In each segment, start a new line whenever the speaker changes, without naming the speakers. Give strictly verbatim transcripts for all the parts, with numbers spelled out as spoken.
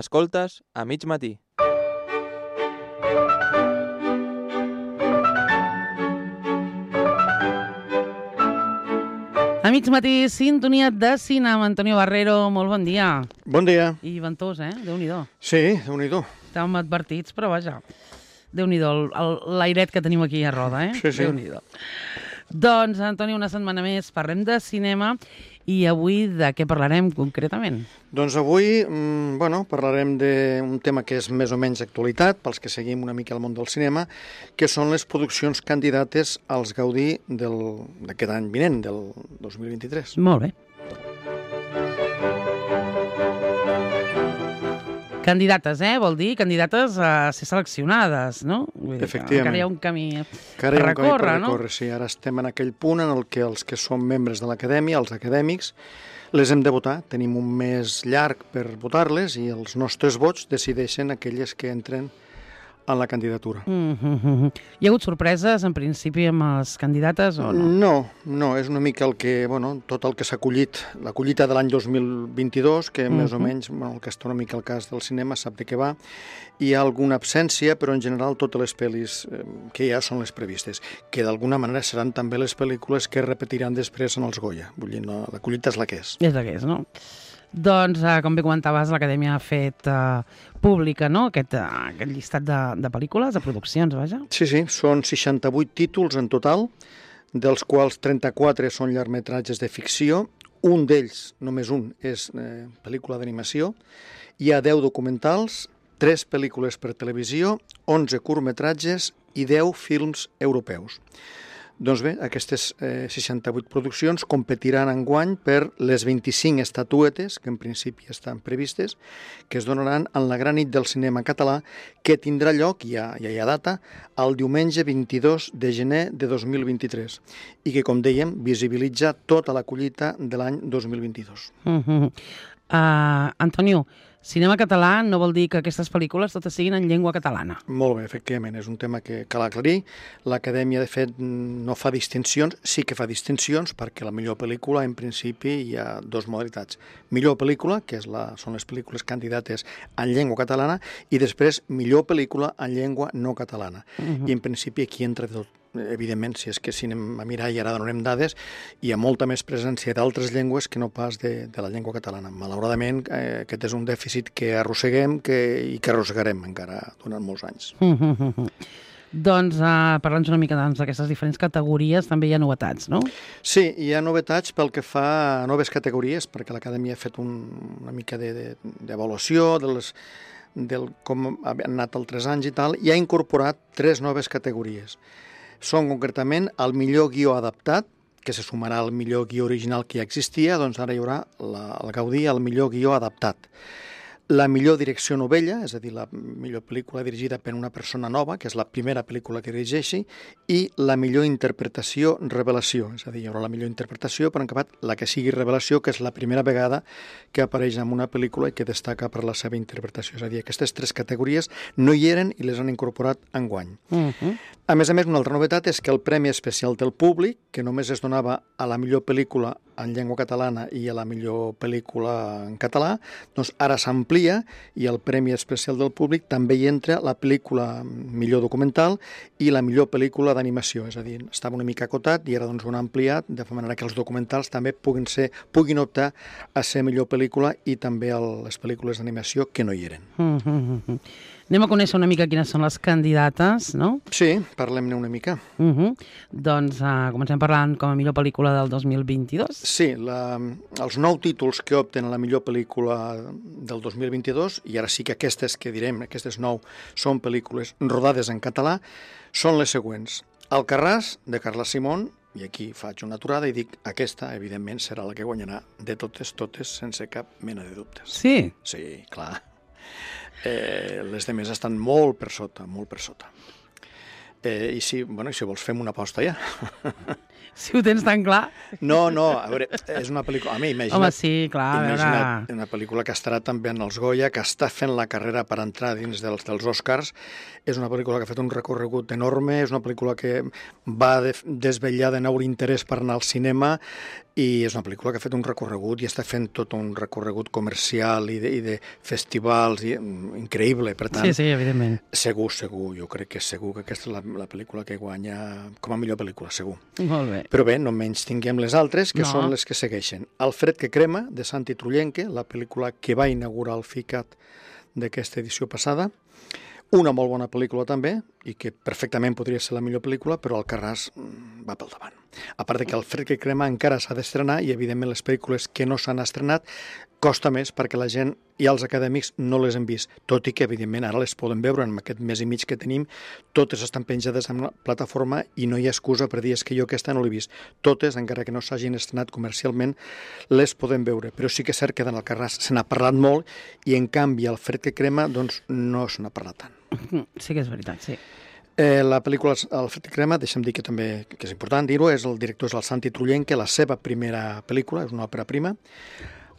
Escoltes a mig matí.
A mig matí, sintonia de cinema. Antonio Barrero, molt bon dia.
Bon dia.
I ventós, eh? Déu-n'hi-do.
Sí, Déu-n'hi-do.
Estàvem advertits, però vaja. Déu-n'hi-do, el- el- l'airet que tenim aquí a Roda, eh?
Sí, sí.
Déu-n'hi-do. Doncs, Antonio, una setmana més parlem de cinema i avui de què parlarem concretament?
Doncs avui, mm, bueno, parlarem d'un tema que és més o menys actualitat, pels que seguim una mica el món del cinema, que són les produccions candidates als Gaudí del- d'aquest any vinent, del dos mil vint-i-tres.
Molt bé. Candidates, eh? Vol dir candidates a ser seleccionades, no? Vull dir que
Efectivament.
encara hi ha un camí
Encara hi ha un camí per
recórrer, no?
recórrer, sí. Ara estem en aquell punt en el que els que som membres de l'acadèmia, els acadèmics, les hem de votar. Tenim un mes llarg per votar-les i els nostres vots decideixen aquelles que entren en la candidatura.
Mm -hmm. Hi ha hagut sorpreses, en principi, amb les candidates o no?
No, no, és una mica el que, bueno, tot el que s'ha acollit, la collita de l'any dos mil vint-i-dos, que
Mhm.
més o menys, bueno, el que està una mica al cas del cinema, sap de què va. Hi ha alguna absència, però en general totes les pel·lis eh, que hi ha són les previstes, que d'alguna manera seran també les pel·lícules que es repetiran després en els Goya. Vull dir, no, la collita és la que és.
És la que és, no? Doncs, eh, com bé comentaves, l'Acadèmia ha fet eh, pública, no?, aquest, eh, aquest llistat de, de pel·lícules, de produccions, vaja.
Sí, sí, són seixanta-vuit títols en total, dels quals trenta-quatre són llargmetratges de ficció, un d'ells, només un, és eh, pel·lícula d'animació, hi ha deu documentals, tres pel·lícules per televisió, onze curtmetratges i deu films europeus. Doncs bé, aquestes eh, seixanta-vuit produccions competiran enguany per les vint-i-cinc estatuetes, que en principi estan previstes, que es donaran en la gran nit del cinema català, que tindrà lloc, ja, ja hi ha data, el diumenge vint-i-dos de gener de dos mil vint-i-tres, i que, com dèiem, visibilitza tota la collita de l'any dos mil vint-i-dos.
Uh -huh. uh, Antonio, cinema català no vol dir que aquestes pel·lícules totes siguin en llengua catalana.
Molt bé, efectivament, és un tema que cal aclarir. L'Acadèmia, de fet, no fa distincions, sí que fa distincions, perquè la millor pel·lícula, en principi, hi ha dues modalitats. Millor pel·lícula, que és la, són les pel·lícules candidates en llengua catalana, i després millor pel·lícula en llengua no catalana. Uh -huh. I, en principi, aquí entra tot. Evidentment, si és que si anem a mirar i ara donarem dades, hi ha molta més presència d'altres llengües que no pas de, de la llengua catalana. Malauradament, eh, aquest és un dèficit que arrosseguem que, i que arrossegarem encara durant molts anys.
Uh -huh. Doncs, uh, parlant una mica doncs, d'aquestes diferents categories, també hi ha novetats, no?
Sí, hi ha novetats pel que fa a noves categories, perquè l'Acadèmia ha fet un, una mica d'avaluació de, de, de les del com han anat altres anys i tal, i ha incorporat tres noves categories. Són concretament el millor guió adaptat, que se sumarà al millor guió original que ja existia, doncs ara hi haurà la, el Gaudí al millor guió adaptat. La millor direcció novella, és a dir, la millor pel·lícula dirigida per una persona nova, que és la primera pel·lícula que dirigeixi, i la millor interpretació revelació, és a dir, hi haurà la millor interpretació, però en acabat la que sigui revelació, que és la primera vegada que apareix en una pel·lícula i que destaca per la seva interpretació. És a dir, aquestes tres categories no hi eren i les han incorporat enguany.
Uh -huh.
A més a més, una altra novetat és que el Premi Especial del Públic, que només es donava a la millor pel·lícula en llengua catalana i a la millor pel·lícula en català, doncs ara s'amplia i el Premi Especial del Públic també hi entra la pel·lícula millor documental i la millor pel·lícula d'animació. És a dir, estava una mica acotat i ara doncs ho han ampliat de manera que els documentals també puguin, ser, puguin optar a ser millor pel·lícula i també el, les pel·lícules d'animació que no hi eren.
Uh -huh. Anem a conèixer una mica quines són les candidates, no?
Sí, parlem-ne una mica.
Uh -huh. Doncs uh, comencem parlant com a millor pel·lícula del dos mil vint-i-dos.
Sí, la, els nou títols que opten a la millor pel·lícula del dos mil vint-i-dos, i ara sí que aquestes que direm, aquestes nou, són pel·lícules rodades en català, són les següents. Alcarràs, de Carla Simón, i aquí faig una aturada i dic, aquesta, evidentment, serà la que guanyarà de totes, totes, sense cap mena de dubtes.
Sí?
Sí, clar. Eh, les demés estan molt per sota, molt per sota. Eh, I si, bueno, si vols fem una aposta ja.
Si ho tens tan clar.
No, no, a veure, és una pel·lícula... A mi, imagina't...
Home, sí, clar, a veure...
Imagina't una pel·lícula que estarà també en els Goya, que està fent la carrera per entrar dins dels, dels Oscars. És una pel·lícula que ha fet un recorregut enorme, és una pel·lícula que va de, desvetllar de nou l'interès per anar al cinema, i és una pel·lícula que ha fet un recorregut i està fent tot un recorregut comercial i de, i de festivals i, increïble, per tant...
Sí, sí, evidentment.
Segur, segur, jo crec que és segur que aquesta és la, la pel·lícula que guanya com a millor pel·lícula, segur.
Molt bé.
Però bé, no menys tinguem les altres, que
No.
són les que segueixen. El fred que crema, de Santi Trullenque, la pel·lícula que va inaugurar el FICAT d'aquesta edició passada. Una molt bona pel·lícula també, i que perfectament podria ser la millor pel·lícula, però Alcarràs mm, va pel davant. A part de que el fred que crema encara s'ha d'estrenar, i evidentment les pel·lícules que no s'han estrenat costa més perquè la gent i els acadèmics no les han vist, tot i que evidentment ara les poden veure en aquest mes i mig que tenim, totes estan penjades en la plataforma i no hi ha excusa per dir és que jo aquesta no l'he vist. Totes, encara que no s'hagin estrenat comercialment, les podem veure, però sí que és cert que en Alcarràs se n'ha parlat molt i en canvi el fred que crema doncs no se n'ha parlat tant.
Sí que és veritat, sí.
Eh, la pel·lícula El fred que crema, deixa'm dir que també que és important dir-ho, és el director és el Santi Trullenque, la seva primera pel·lícula, és una òpera prima.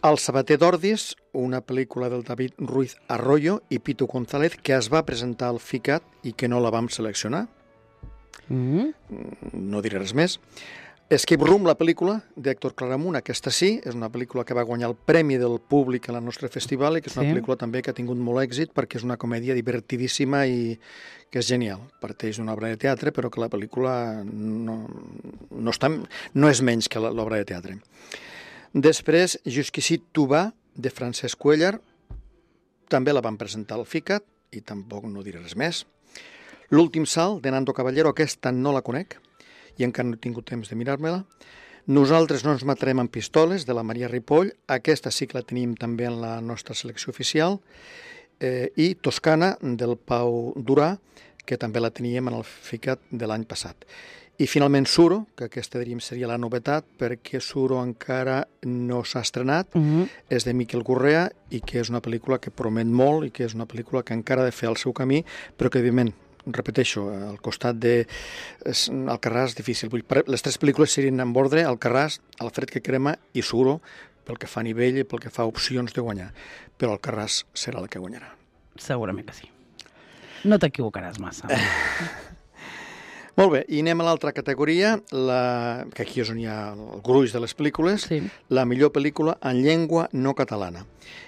El sabater d'Ordis, una pel·lícula del David Ruiz Arroyo i Pitu González, que es va presentar al FICAT i que no la vam seleccionar.
Mm.
No diré res més. Escape Room, la pel·lícula d'Héctor Claramunt, aquesta sí, és una pel·lícula que va guanyar el Premi del Públic al nostre festival i que és una
Sí.
pel·lícula també que ha tingut molt èxit perquè és una comèdia divertidíssima i que és genial. Parteix d'una obra de teatre, però que la pel·lícula no, no, està, no és menys que l'obra de teatre. Després, Jusqu'ici tu va, de Francesc Cuéllar, també la van presentar al FICAT i tampoc no diré res més. L'últim salt, de Nando Caballero, aquesta no la conec i encara no he tingut temps de mirar-me-la. Nosaltres no ens matarem amb pistoles, de la Maria Ripoll, aquesta sí que la tenim també en la nostra selecció oficial, eh, i Toscana, del Pau Durà, que també la teníem en el FICAT de l'any passat. I finalment Suro, que aquesta diríem seria la novetat, perquè Suro encara no s'ha estrenat,
Mm.
és de Miquel Gurrea i que és una pel·lícula que promet molt i que és una pel·lícula que encara ha de fer el seu camí, però que, evidentment, repeteixo, al costat de Alcarràs, difícil. Vull, les tres pel·lícules serien en ordre, Alcarràs, El fred que crema i Suro, pel que fa a nivell i pel que fa a opcions de guanyar. Però Alcarràs serà la que guanyarà.
Segurament que sí. No t'equivocaràs massa.
Molt bé, i anem a l'altra categoria, la, que aquí és on hi ha el gruix de les pel·lícules,
Sí.
la millor pel·lícula en llengua no catalana.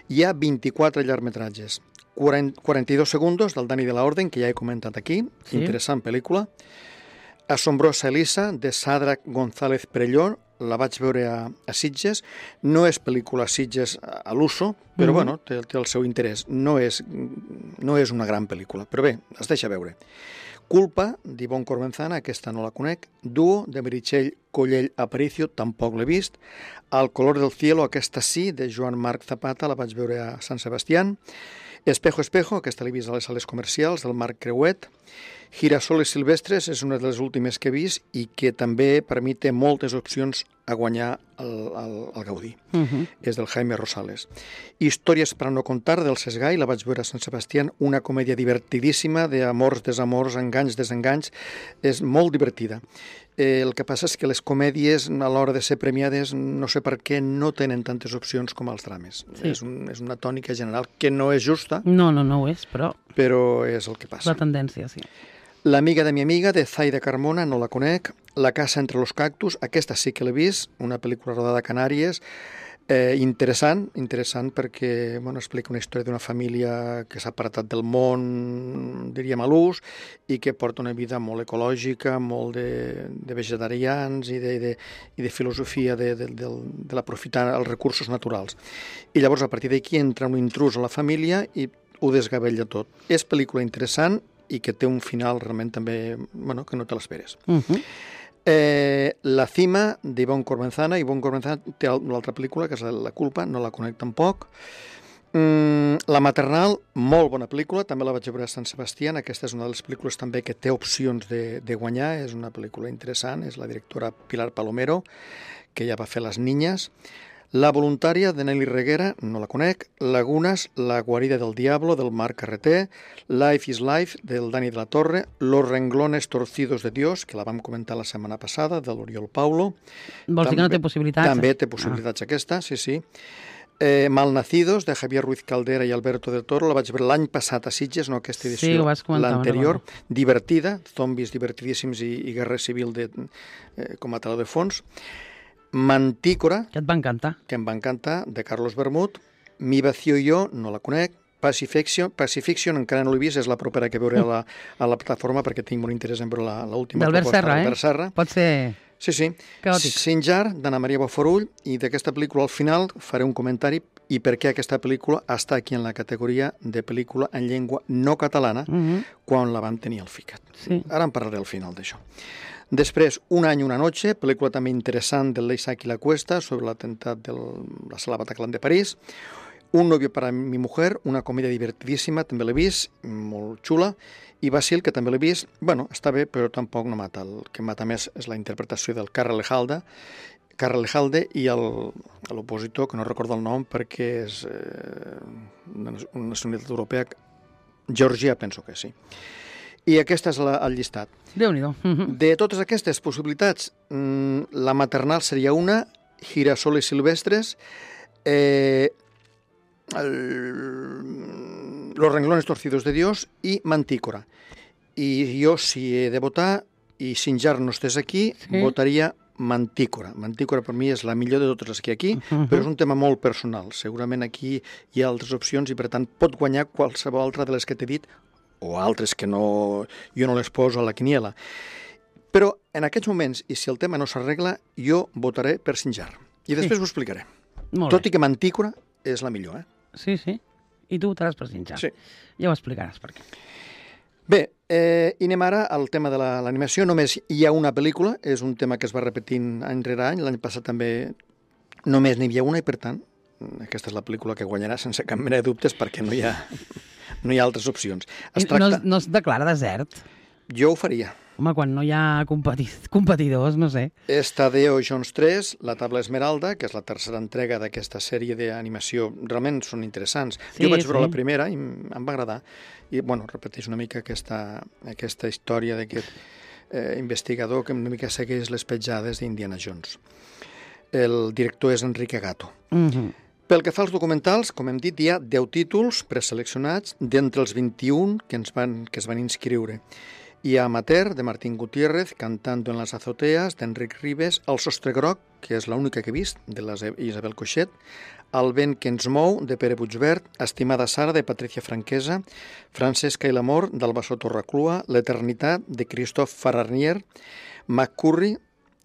Hi ha vint-i-quatre llargmetratges. quaranta-dos segundos, del Dani de la Orden, que ja he comentat aquí,
Sí.
interessant pel·lícula. Asombrosa Elisa, de Sadrak González Perelló, la vaig veure a, a Sitges. No és pel·lícula a Sitges a, a l'uso, però
Mhm.
bueno, té, té el seu interès. No és, no és una gran pel·lícula, però bé, es deixa veure. Culpa, d'Ivonne Cormenzana, aquesta no la conec. Duo, de Meritxell Collell Aparicio, tampoc l'he vist. El color del cielo, aquesta sí, de Joan Marc Zapata, la vaig veure a Sant Sebastián. Espejo, espejo, aquesta l'he vist a les sales comercials, del Marc Creuet. Girasoles silvestres és una de les últimes que he vist i que també per mi té moltes opcions a guanyar el, el, el Gaudí.
Uh-huh.
És del Jaime Rosales. Històries per a no contar, del Sesgai, la vaig veure a Sant Sebastián, una comèdia divertidíssima d'amors, desamors, enganys, desenganys, és molt divertida. Eh, el que passa és que les comèdies, a l'hora de ser premiades, no sé per què no tenen tantes opcions com els drames.
Sí.
És, un, és una tònica general que no és justa,
No, no, no ho és, però
però és el que
és
passa.
la tendència, sí.
L'amiga de mi amiga, de Zaida Carmona, no la conec. La casa entre los cactus, aquesta sí que l'he vist, una pel·lícula rodada a Canàries, eh, interessant, interessant perquè bueno, explica una història d'una família que s'ha apartat del món, diríem a l'ús, i que porta una vida molt ecològica, molt de, de vegetarians i de, de, i de filosofia de, de, de, de l'aprofitar els recursos naturals. I llavors, a partir d'aquí, entra un intrus a la família i ho desgavella tot. És pel·lícula interessant i que té un final realment també, bueno, que no te l'esperes.
Uh-huh.
Eh, la cima d'Ivonne Cormenzana. Ivonne Cormenzana té una altra pel·lícula, que és La culpa, no la conec tampoc. Mm, la maternal, molt bona pel·lícula, també la vaig veure a Sant Sebastián. Aquesta és una de les pel·lícules també que té opcions de, de guanyar, és una pel·lícula interessant, és la directora Pilar Palomero, que ja va fer Les niñas. La voluntària, de Nelly Reguera, no la conec. Lagunas, La guarida del diablo, del Marc Carreter. Life is Life, del Dani de la Torre. Los renglones torcidos de Dios, que la vam comentar la setmana passada, de l'Oriol Paulo.
Vols dir que no té possibilitats?
També té possibilitats ah. aquesta, sí, sí. Eh, Malnacidos, de Javier Ruiz Caldera i Alberto del Toro, la vaig veure l'any passat a Sitges, no aquesta edició,
sí, ho vas comentar,
l'anterior, divertida, zombis divertidíssims i, i guerra civil de, eh, com a teló de fons. Mantícora,
que et va encantar.
Que em va encantar, de Carlos Bermud. Mi vacío i jo, no la conec. Pacifiction, Pacifiction encara no l'he vist, és la propera que veuré a la, a la plataforma perquè tinc molt interès en veure l'última proposta
d'Albert Serra, eh? Pot ser...
Sí, sí.
Caòtic.
Sinjar, d'Anna Maria Bofarull, i d'aquesta pel·lícula al final faré un comentari i per què aquesta pel·lícula està aquí en la categoria de pel·lícula en llengua no catalana uh -huh. quan la vam tenir al FICAT.
Sí.
Ara en parlaré al final d'això. Després, Un any, una noche, pel·lícula també interessant del Leisach i la Cuesta sobre l'atemptat de la sala Bataclan de París. Un novio para mi mujer, una comèdia divertidíssima, també l'he vist, molt xula. I Basil, que també l'he vist, bueno, està bé, però tampoc no mata. El que mata més és la interpretació del Karel Lejalde, Karel Lejalde i l'opositor, que no recordo el nom perquè és eh, una nacionalitat europea, Georgia, penso que sí. I aquest és la, el llistat.
Déu-n'hi-do.
De totes aquestes possibilitats, la maternal seria una, Girasoles silvestres, eh, el, Los renglones torcidos de Dios i Mantícora. I jo, si he de votar, i Sinjar no estés aquí, sí. votaria Mantícora. Mantícora per mi és la millor de totes les que hi ha aquí, uh-huh. però és un tema molt personal. Segurament aquí hi ha altres opcions i, per tant, pot guanyar qualsevol altra de les que t'he dit, o altres que no, jo no les poso a la quiniela. Però en aquests moments, i si el tema no s'arregla, jo votaré per Sinjar. I després sí. ho explicaré.
Molt
Tot
bé.
i que Mantícora és la millor, eh?
Sí, sí. I tu votaràs per Sinjar.
Sí.
Ja ho explicaràs per què.
Bé, eh, i anem ara al tema de l'animació. La, només hi ha una pel·lícula, és un tema que es va repetint any rere any. L'any passat també només n'hi havia una i, per tant, aquesta és la pel·lícula que guanyarà sense cap mena de dubtes perquè no hi ha, no hi ha altres opcions.
Es tracta... no, no es declara desert?
Jo ho faria.
Home, quan no hi ha competi... competidors, no sé.
És Tadeo Jones tres, La Tabla Esmeralda, que és la tercera entrega d'aquesta sèrie d'animació. Realment són interessants. Sí, jo vaig veure sí. la primera i em va agradar. I, bueno, repeteix una mica aquesta, aquesta història d'aquest eh, investigador que una mica segueix les petjades d'Indiana Jones. El director és Enrique Gato.
Mhm.
Pel que fa als documentals, com hem dit, hi ha deu títols preseleccionats d'entre els vint-i-un que, ens van, que es van inscriure. Hi ha Amateur, de Martín Gutiérrez, Cantando en las azoteas, d'Enric Ribes, El sostre groc, que és l'única que he vist, de l'Isabel Coixet, El vent que ens mou, de Pere Puigvert, Estimada Sara, de Patricia Franquesa, Francesca i l'amor, d'Albasó Torraclua, L'eternitat, de Christophe Fararnier, McCurry,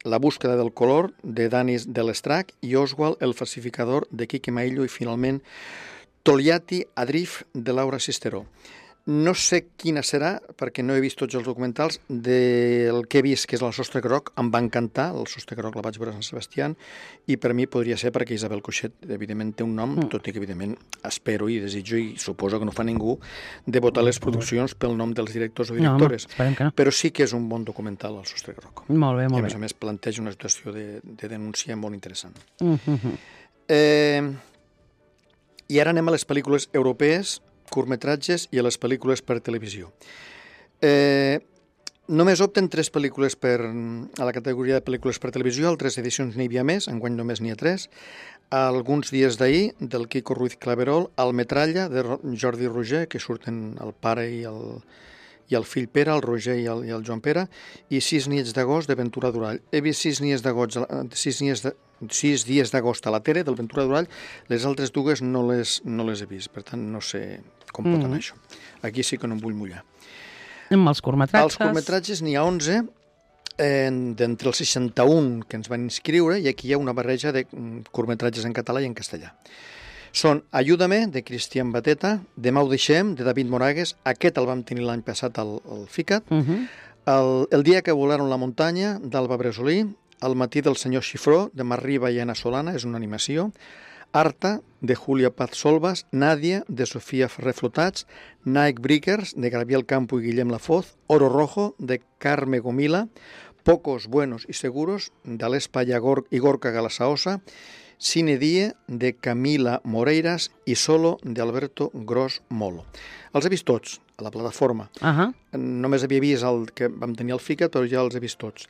La búsqueda del color, de Danis de l'Estrac, i Oswald, El falsificador, de Quique Maillo, i finalment Toliati Adrif, de Laura Sisteró. No sé quina serà, perquè no he vist tots els documentals, del que he vist, que és El sostre groc. Em va encantar, El sostre groc la vaig veure a Sant Sebastià, i per mi podria ser perquè Isabel Coixet, evidentment, té un nom, mm. tot i que, evidentment, espero i desitjo, i suposo que no fa ningú, de votar les produccions pel nom dels directors o directores.
No, home, no.
Però sí que és un bon documental, El sostre groc.
Molt bé, molt
I, a més
bé.
a més, planteja una situació de, de denúncia molt interessant.
Mm-hmm.
Eh, I ara anem a les pel·lícules europees, curtmetratges i a les pel·lícules per televisió. Eh, només opten tres pel·lícules per, a la categoria de pel·lícules per televisió, altres edicions n'hi havia més, enguany només n'hi ha tres. Alguns dies d'ahir, del Quico Ruiz Claverol, El metralla, de Jordi Roger, que surten el pare i el, i el fill Pere, el Roger i el, i el Joan Pere, i Sis nits d'agost, de Ventura Durall. He vist Sis nits d'agost, sis nits de, sis dies d'agost a la tele, del Ventura Durall, les altres dues no les, no les he vist, per tant no sé com pot anar mm. això. Aquí sí que no em vull mullar.
Amb els curtmetratges?
Els curtmetratges n'hi ha onze, eh, d'entre els seixanta-un que ens van inscriure, i aquí hi ha una barreja de curtmetratges en català i en castellà. Són Ayúdame, de Cristian Bateta, Demà ho deixem, de David Moragues, aquest el vam tenir l'any passat al, al FICAT,
Uh-huh.
el, el dia que volaron la muntanya, d'Alba Bresolí, El matí del senyor Xifró, de Mar Riba i Anna Solana, és una animació, Arta, de Julia Paz Solvas, Nàdia, de Sofia Ferrer Flotats, Nike Breakers, de Gabriel Campo i Guillem Lafoz, Oro Rojo, de Carme Gomila, Pocos, Buenos y Seguros, d'Alespa i Gorka Galasaosa, Cine Die, de Camila Moreiras, i Solo, de Alberto Gros Molo. Els he vist tots, a la plataforma.
Uh -huh.
Només havia vist el que vam tenir al FICA, però ja els he vist tots.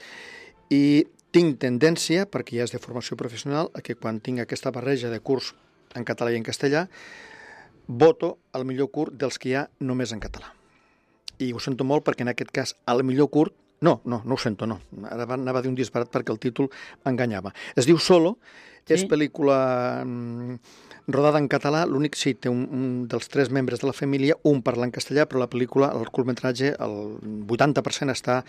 I tinc tendència, perquè ja és de formació professional, a que quan tinc aquesta barreja de curs en català i en castellà, voto el millor curt dels que hi ha només en català. I ho sento molt perquè en aquest cas el millor curt, no, no, no ho sento, no. Ara anava a dir un disparat perquè el títol m'enganyava. Es diu Solo, sí. És pel·lícula mm, rodada en català, l'únic sí, té un, un dels tres membres de la família, un parla en castellà, però la pel·lícula, el curtmetratge, el vuitanta per cent està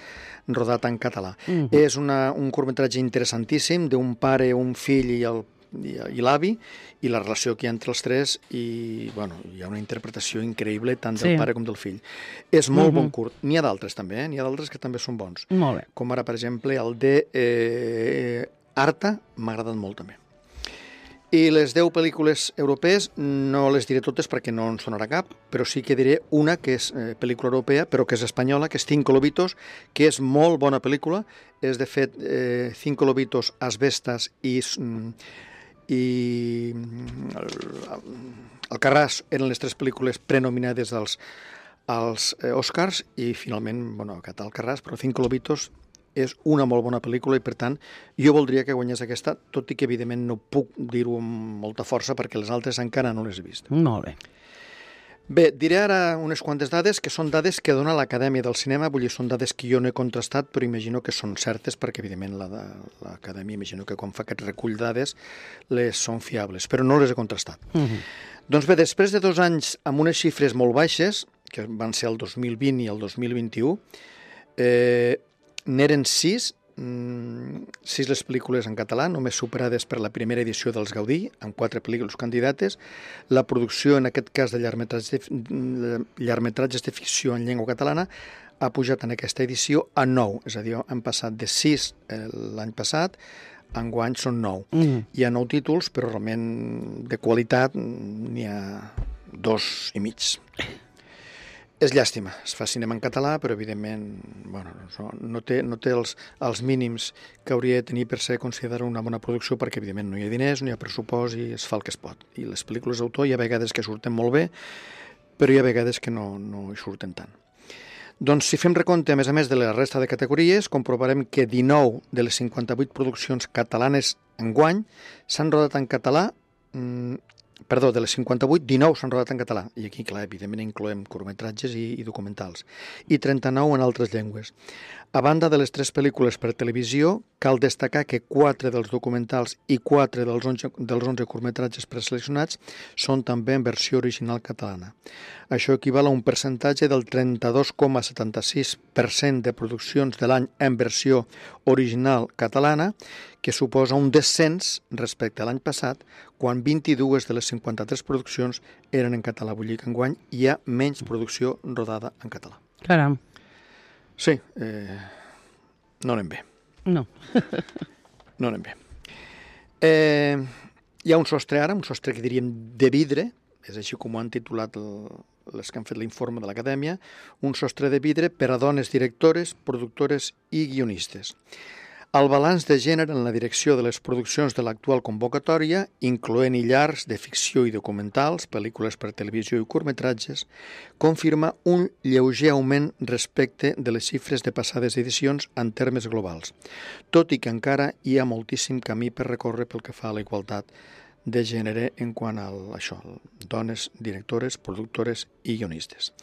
rodat en català. Mm-hmm. És una, un curtmetratge interessantíssim d'un pare, un fill i el i, i l'avi, i la relació que hi ha entre els tres, i bueno, hi ha una interpretació increïble tant del
Sí.
pare com del fill. És molt
Mhm.
bon curt. N'hi ha d'altres també, eh? N'hi ha d'altres que també són bons.
Molt bé.
Com ara, per exemple, el de eh, Arta, m'ha agradat molt també. I les deu pel·lícules europees no les diré totes perquè no en sonarà cap, però sí que diré una que és eh, pel·lícula europea, però que és espanyola, que és Cinco Lobitos, que és molt bona pel·lícula. És, de fet, eh, Cinco Lobitos, Asbestas i... Mm, i Alcarràs eren les tres pel·lícules prenominades als, als eh, Oscars, i finalment, bueno, aquest Alcarràs, però Cinco Lobitos és una molt bona pel·lícula i, per tant, jo voldria que guanyés aquesta, tot i que, evidentment, no puc dir-ho amb molta força perquè les altres encara no les he vist.
Molt bé.
Bé, diré ara unes quantes dades que són dades que dona l'Acadèmia del Cinema, vull dir, són dades que jo no he contrastat, però imagino que són certes perquè, evidentment, la de l'Acadèmia, imagino que quan fa aquest recull de dades les són fiables, però no les he contrastat.
Mhm.
Doncs bé, després de dos anys amb unes xifres molt baixes, que van ser el dos mil vint i el dos mil vint-i-u, eh, n'eren sis, mm, sis les pel·lícules en català, només superades per la primera edició dels Gaudí, amb quatre pel·lícules candidates. La producció, en aquest cas, de llargmetratges de, llargmetratges de ficció en llengua catalana ha pujat en aquesta edició a nou, és a dir, han passat de sis eh, l'any passat, enguany són nou.
Mhm.
Hi ha nou títols, però realment de qualitat n'hi ha dos i mig. És llàstima, es fa cinema en català, però evidentment bueno, no, no té, no té els, els mínims que hauria de tenir per ser considerat una bona producció, perquè evidentment no hi ha diners, no hi ha pressupost i es fa el que es pot. I les pel·lícules d'autor hi ha vegades que surten molt bé, però hi ha vegades que no, no hi surten tant. Doncs si fem recompte, a més a més, de la resta de categories, comprovarem que dinou de les cinquanta-vuit produccions catalanes enguany s'han rodat en català, mm, perdó, de les cinquanta-vuit, dinou s'han rodat en català, i aquí, clar, evidentment incloem curtmetratges i, i documentals, i trenta-nou en altres llengües. A banda de les tres pel·lícules per televisió, cal destacar que quatre dels documentals i quatre dels onze, dels onze curtmetratges preseleccionats són també en versió original catalana. Això equival a un percentatge del trenta-dos coma setanta-sis per cent de produccions de l'any en versió original catalana, que suposa un descens respecte a l'any passat, quan vint-i-dues de les cinquanta-tres produccions eren en català. Vull dir que enguany hi ha menys producció rodada en català.
Caram.
Sí, eh, no anem bé.
No.
No anem bé. Eh, hi ha un sostre ara, un sostre que diríem de vidre, és així com ho han titulat el, les que han fet l'informe de l'Acadèmia, un sostre de vidre per a dones directores, productores i guionistes. El balanç de gènere en la direcció de les produccions de l'actual convocatòria, incloent-hi llargs de ficció i documentals, pel·lícules per televisió i curtmetratges, confirma un lleuger augment respecte de les xifres de passades edicions en termes globals, tot i que encara hi ha moltíssim camí per recórrer pel que fa a la igualtat de gènere en quant a això, dones directores, productores i guionistes.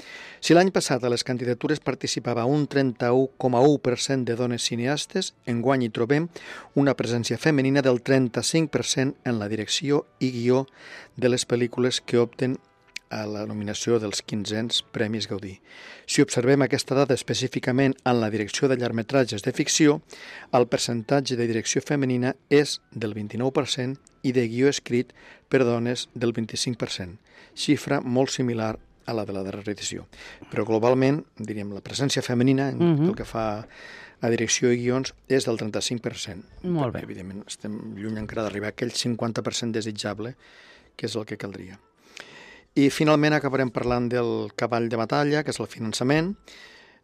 Si l'any passat a les candidatures participava un trenta-u coma u per cent de dones cineastes, enguany hi trobem una presència femenina del trenta-cinc per cent en la direcció i guió de les pel·lícules que opten a la nominació dels quinzens Premis Gaudí. Si observem aquesta dada específicament en la direcció de llargmetratges de ficció, el percentatge de direcció femenina és del vint-i-nou per cent i de guió escrit per dones del vint-i-cinc per cent, xifra molt similar a la de la darrera edició. Però globalment, diríem, la presència femenina, en
Mhm.
el que fa a direcció i guions, és del trenta-cinc per cent.
Molt bé.
Evidentment, estem lluny encara d'arribar a aquell cinquanta per cent desitjable, que és el que caldria. I finalment acabarem parlant del cavall de batalla, que és el finançament.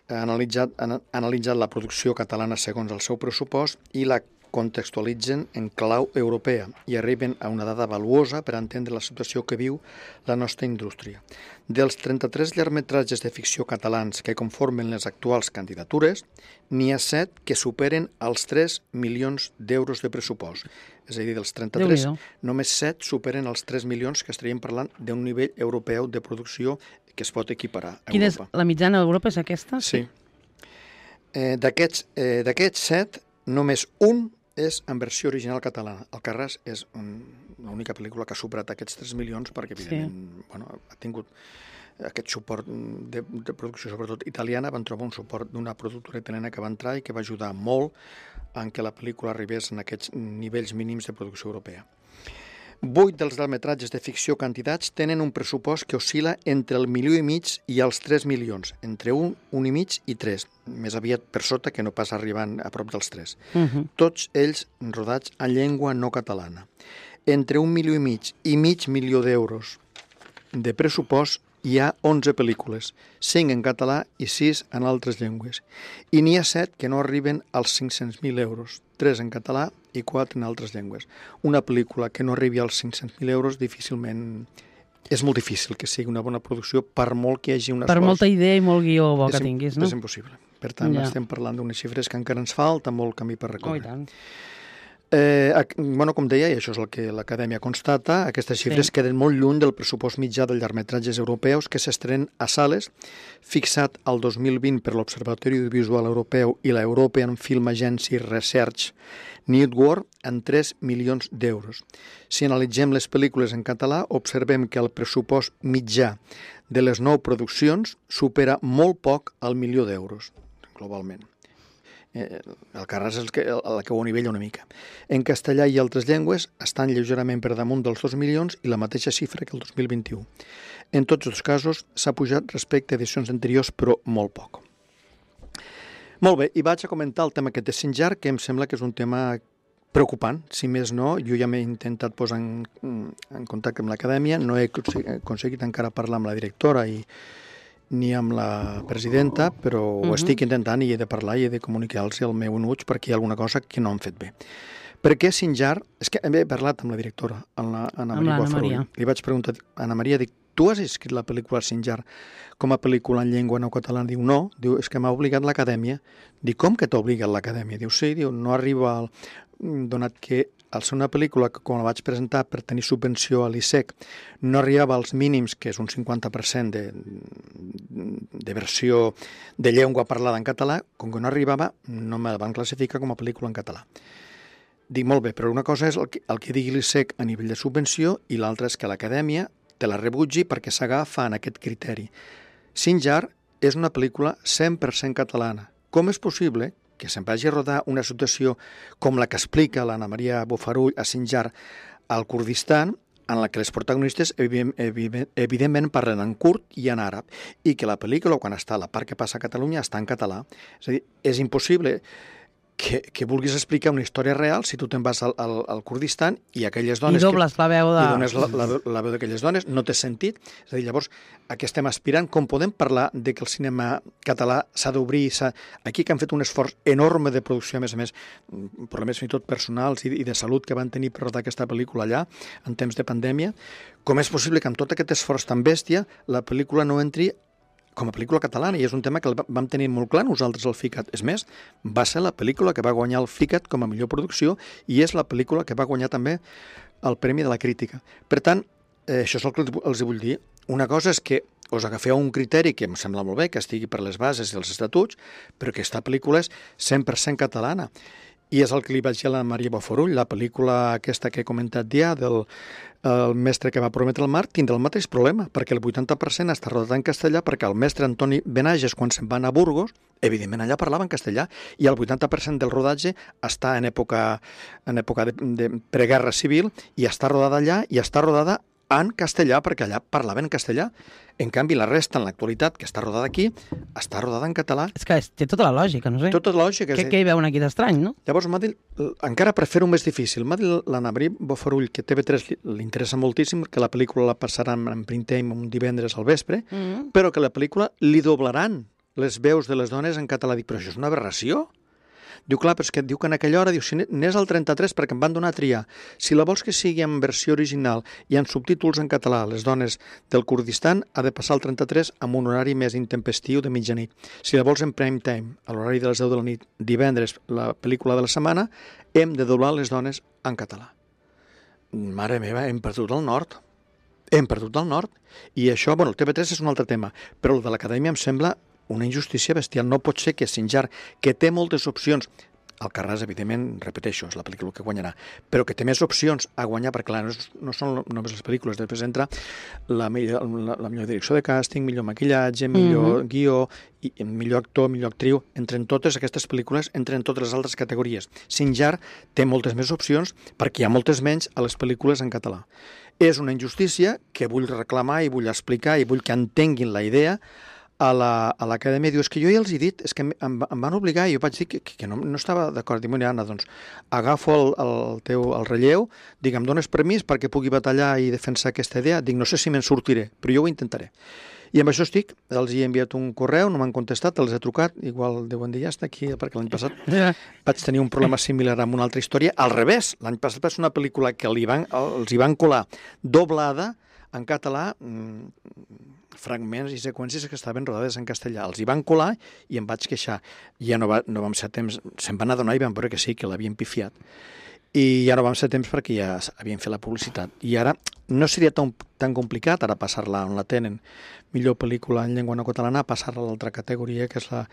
Ha analitzat, ha analitzat la producció catalana segons el seu pressupost i la contextualitzen en clau europea i arriben a una dada valuosa per entendre la situació que viu la nostra indústria. Dels trenta-tres llargmetratges de ficció catalans que conformen les actuals candidatures, n'hi ha set que superen els tres milions d'euros de pressupost. És a dir, dels trenta-tres, només set superen els tres milions, que estaríem parlant d'un nivell europeu de producció que es pot equiparar a
Quina
Europa.
és la mitjana d'Europa, és aquesta?
Sí. Eh, D'aquests eh, d'aquests set, només un és en versió original catalana. Alcarràs és un, l'única pel·lícula que ha superat aquests tres milions perquè, evidentment, sí. bueno, ha tingut aquest suport de, de producció, sobretot italiana. Van trobar un suport d'una productora italiana que va entrar i que va ajudar molt en què la pel·lícula arribés en aquests nivells mínims de producció europea. Vuit dels llargmetratges de ficció candidats tenen un pressupost que oscil·la entre el milió i mig i els tres milions, entre un, un i mig i tres, més aviat per sota que no pas arribant a prop dels tres.
Uh -huh.
Tots ells rodats en llengua no catalana. Entre un milió i mig i mig milió d'euros de pressupost hi ha onze pel·lícules, cinc en català i sis en altres llengües. I n'hi ha set que no arriben als cinc-cents mil euros, tres en català i quatre en altres llengües. Una pel·lícula que no arribi als cinc-cents mil euros difícilment... És molt difícil que sigui una bona producció per molt que hi hagi un esforç.
Per molta idea i molt guió bo que
és,
tinguis, no?
És impossible. Per tant, ja. estem parlant d'unes xifres que encara ens falta molt camí per recórrer.
Oh, i tant.
Eh, bueno, com deia, i això és el que l'Acadèmia constata, aquestes xifres sí. queden molt lluny del pressupost mitjà dels llargmetratges europeus que s'estrenen a sales, fixat al dos mil vint per l'Observatori Audiovisual Europeu i la European Film Agency Research Network en tres milions d'euros. Si analitzem les pel·lícules en català, observem que el pressupost mitjà de les nou produccions supera molt poc el milió d'euros, globalment. Eh, el Carràs és el que, el, el que ho anivella una mica. En castellà i altres llengües estan lleugerament per damunt dels dos milions i la mateixa xifra que el dos mil vint-i-u. En tots els casos s'ha pujat respecte a edicions anteriors, però molt poc. Molt bé, i vaig a comentar el tema aquest de Sinjar, que em sembla que és un tema preocupant. Si més no, jo ja m'he intentat posar en, en contacte amb l'Acadèmia, no he aconseguit encara parlar amb la directora i ni amb la presidenta, però uh-huh. ho estic intentant i he de parlar i he de comunicar-los el meu enuig perquè hi ha alguna cosa que no han fet bé. Per què Sinjar? És que he parlat amb la directora, amb la Anna Maria Bofarull. Li vaig preguntar, Anna Maria, dic, tu has escrit la pel·lícula Sinjar com a pel·lícula en llengua no catalana? Diu, no, diu, és que m'ha obligat l'Acadèmia. Dic, com que t'ha obligat l'Acadèmia? Diu, sí, diu, no arriba al... donat que al ser una pel·lícula que, quan la vaig presentar per tenir subvenció a l'I S E C, no arribava als mínims, que és un cinquanta per cent de, de versió de llengua parlada en català, com que no arribava, no me la van classificar com a pel·lícula en català. Dic, molt bé, però una cosa és el que, el que digui l'I S E C a nivell de subvenció i l'altra és que l'Acadèmia te la rebutgi perquè s'agafa en aquest criteri. Sinjar és una pel·lícula cent per cent catalana. Com és possible que se'n vagi a rodar una situació com la que explica l'Anna Maria Bofarull a Sinjar al Kurdistan, en la que les protagonistes evidentment parlen en kurd i en àrab, i que la pel·lícula, quan està a la part que passa a Catalunya, està en català. És a dir, és impossible que, que vulguis explicar una història real si tu te'n vas al, al, al Kurdistan i aquelles dones...
I dobles
que,
la veu de...
I dones la, la, la veu d'aquelles dones, no té sentit. És a dir, llavors, a què estem aspirant? Com podem parlar de que el cinema català s'ha d'obrir? Aquí que han fet un esforç enorme de producció, a més a més, problemes fins i tot personals i, i de salut que van tenir per rodar aquesta pel·lícula allà, en temps de pandèmia. Com és possible que amb tot aquest esforç tan bèstia la pel·lícula no entri com a pel·lícula catalana, i és un tema que el vam tenir molt clar nosaltres al FICAT. És més, va ser la pel·lícula que va guanyar el FICAT com a millor producció i és la pel·lícula que va guanyar també el Premi de la Crítica. Per tant, eh, això és el que els vull dir. Una cosa és que us agafeu un criteri que em sembla molt bé, que estigui per les bases i els estatuts, però que aquesta pel·lícula és cent per cent catalana. I és el que li vaig dir a la Maria Bofarull, la pel·lícula aquesta que he comentat ja, del el mestre que va prometre el mar, tindrà el mateix problema, perquè el vuitanta per cent està rodat en castellà, perquè el mestre Antoni Benages, quan se'n va anar a Burgos, evidentment allà parlava en castellà, i el vuitanta per cent del rodatge està en època, en època de, de preguerra civil, i està rodada allà, i està rodada en castellà, perquè allà parlaven en castellà. En canvi, la resta, en l'actualitat, que està rodada aquí, està rodada en català.
És que té tota la lògica, no sé.
Tota la lògica.
Què, què hi veuen aquí d'estrany, no?
Llavors, m'ha dit, encara per fer-ho més difícil, m'ha dit l'Anna Maria Bofarull, que T V tres li interessa moltíssim, que la pel·lícula la passaran en prime time un divendres al vespre, mm -hmm. però que la pel·lícula li doblaran les veus de les dones en català. Dic, però això és una aberració. Diu, clar, però és que diu que en aquella hora, diu, si n'és al trenta-tres perquè em van donar a triar. Si la vols que sigui en versió original i en subtítols en català, les dones del Kurdistan, ha de passar al trenta-tres amb un horari més intempestiu de mitjanit. Si la vols en prime time, a l'horari de les deu de la nit, divendres, la pel·lícula de la setmana, hem de doblar les dones en català. Mare meva, hem perdut el nord. Hem perdut el nord. I això, bueno, el T V tres és un altre tema, però el de l'Acadèmia em sembla una injustícia bestial. No pot ser que Sinjar, que té moltes opcions, Alcarràs, evidentment, repeteixo, és la pel·lícula que guanyarà, però que té més opcions a guanyar, perquè clar, no, és, no són només les pel·lícules, després entra la millor, la, la millor direcció de càsting, millor maquillatge, millor mm-hmm. guió, i, millor actor, millor actriu, entren totes aquestes pel·lícules, entren totes les altres categories. Sinjar té moltes més opcions perquè hi ha moltes menys a les pel·lícules en català. És una injustícia que vull reclamar i vull explicar i vull que entenguin la idea a l'Acadèmia. Diu, és que jo ja els he dit, és que em, em van obligar i jo vaig dir que, que no, no estava d'acord. Diu, Anna, doncs agafo el, el teu el relleu, dic, em dones permís perquè pugui batallar i defensar aquesta idea? Dic, no sé si me'n sortiré, però jo ho intentaré. I amb això estic, els hi he enviat un correu, no m'han contestat, els he trucat, igual deuen dir, ja està aquí, perquè l'any passat vaig tenir un problema similar amb una altra història. Al revés, l'any passat va ser una pel·lícula que li van, els hi van colar doblada en català, fragments i seqüències que estaven rodades en castellà. Els hi van colar i em vaig queixar. Ja no, va, no vam ser temps, se'n van adonar i van veure que sí, que l'havien pifiat. I ja no vam ser temps perquè ja havien fet la publicitat. I ara no seria tan, tan complicat ara passar-la on la tenen, millor pel·lícula en llengua no catalana, passar-la a l'altra categoria, que és la...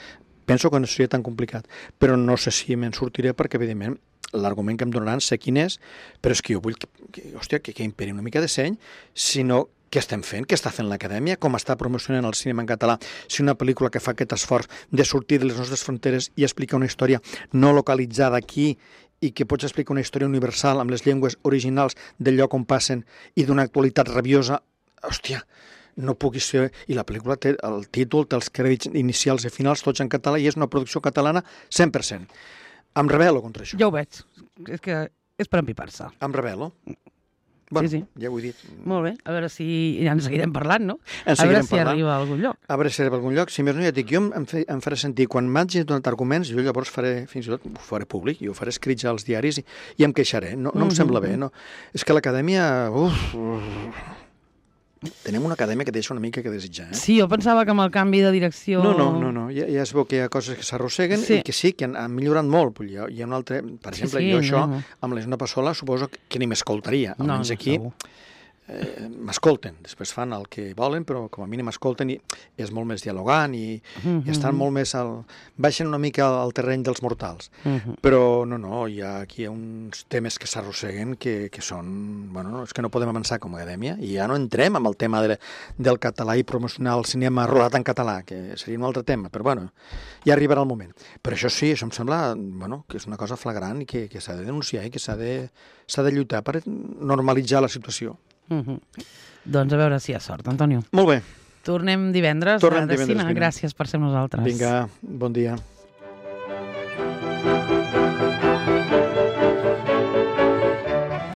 Penso que no seria tan complicat, però no sé si me'n sortiré perquè, evidentment, l'argument que em donaran sé quin és, però és que jo vull que, que hòstia, que, que imperi una mica de seny, sinó què estem fent, què està fent l'Acadèmia, com està promocionant el cinema en català, si una pel·lícula que fa aquest esforç de sortir de les nostres fronteres i explicar una història no localitzada aquí i que pots explicar una història universal amb les llengües originals del lloc on passen i d'una actualitat rabiosa, hòstia, no pugui ser... I la pel·lícula té el títol, té els crèdits inicials i finals, tots en català, i és una producció catalana cent per cent. Em rebel·lo contra això.
Ja ho veig. És que és per empipar-se.
Em rebel·lo. Bueno,
sí, sí.
Ja ho he dit.
Molt bé. A veure si ja ens seguirem parlant, no?
En
a veure si
parlant.
arriba a algun lloc.
A veure si arriba a algun lloc. Si més no, ja dic, jo em, fe, em faré sentir, quan m'hagi donat arguments, jo llavors faré, fins i tot, ho faré públic, jo faré escrits als diaris i, i em queixaré. No, no mm-hmm. em sembla bé, no? És que l'Acadèmia... Uf, uf, tenim una acadèmia que deixa una mica que desitjar, eh?
Sí, jo pensava que amb el canvi de direcció...
No, no, no, no. Ja, ja es veu que hi ha coses que s'arrosseguen sí. i que sí, que han, han millorat molt. Hi ha, hi ha un altre... Per exemple, sí, sí, jo això, no. amb l'Isona Passola, suposo que ni m'escoltaria. Almenys no, no, aquí... Segur. Eh, m'escolten, després fan el que volen, però com a mínim escolten i és molt més dialogant i, mm-hmm. i estan molt més al... baixen una mica al terreny dels mortals. Mm-hmm. Però no, no, hi ha aquí uns temes que s'arrosseguen que, que són... Bueno, és que no podem avançar com a acadèmia i ja no entrem amb el tema de, del català i promocionar el cinema rodat en català, que seria un altre tema, però bueno, ja arribarà el moment. Però això sí, això em sembla bueno, que és una cosa flagrant i que, que s'ha de denunciar i que s'ha de, s'ha de lluitar per normalitzar la situació.
Mm-hmm. Doncs a veure si hi ha sort, Antonio.
Molt bé.
Tornem divendres
Tornem
de
divendres,
cine. Gràcies per ser amb nosaltres.
Vinga, bon dia.